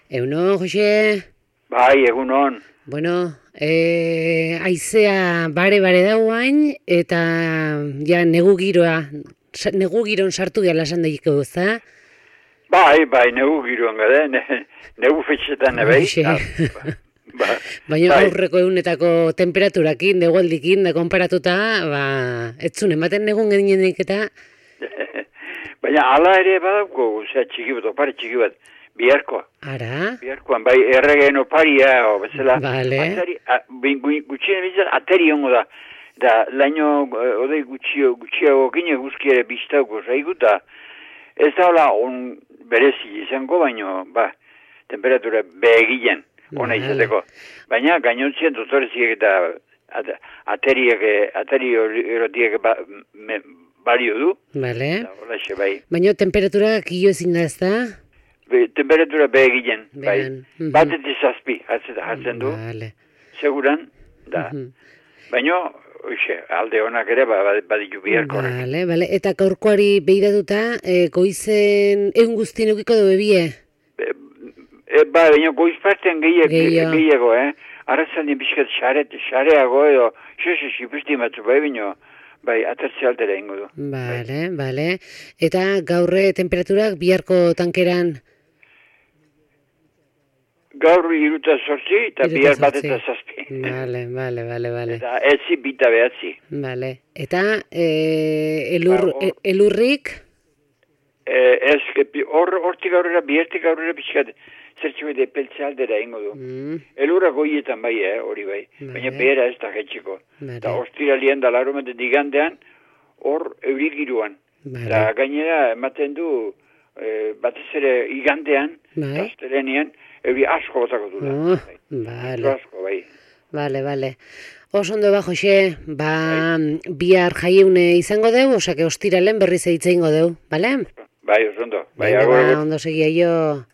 Egunon, Jose? Bai, egunon. Bueno, aizea bare dauain, eta ja negu giron sartu gala esan daiko, ezta? Bai, negu giroan gade, negu fetxetan bai. Baina aurreko egunetako temperaturakin, negualdikin, da konparatuta, ez zuen ematen negun gedinenik eta... Baina ala ere badauko, txiki bat, opari txiki bat, biharkoa. Ara? Biharkoan, bai, erregeen oparia, bezala. Bale. Gutxien bizan, ateri hongo da. Da, laino, odei gutxiago gine guzkiare biztauko zaigu, da ez da hola on berezi izango, baino, temperatura begilen, ona izateko. Baina, gainontzien dotoreziek eta ateri erotiek balio du. Bale. Olaxe, bai. Baina temperatura kilo ezin da, ez da? Temperatura begilen, bai. Batetik zazpi, hartzen du. Bale. Seguran, da. Baina, alde honak ere baditu biharko. Bale. Eta gaurkoari behiratuta, goizen egun guztien eukiko du bebie? Baina goiz partean gehiago, Arrazaldien pixkat xareago edo, xipusti matzu baina, atertze altera ingo du. Bale. Eta gaurre temperaturak biharko tankeran? Gaur 3:08 eta bihar 1:07. Bale. Eta etzi bita behatzi. Bale. Eta elurrik? Hortik aurrera, bihartik aurrera pixkat, zertxo bete peltze aldera ingo du. Elurra goietan bai, hori bai. Baina behera ez da jetxiko. Eta ostiralien da larumaten digandean, hor eurigiruan. Eta gainera ematen du, batez ere igandean, astelenian, euri asko botako du da. Asko, bai. Bale. Osondo Jose, bihar jaieune izango deu, osake ostiralen berriz eitze ingo deu, bale? Bai, osondo. Ondo segia jo.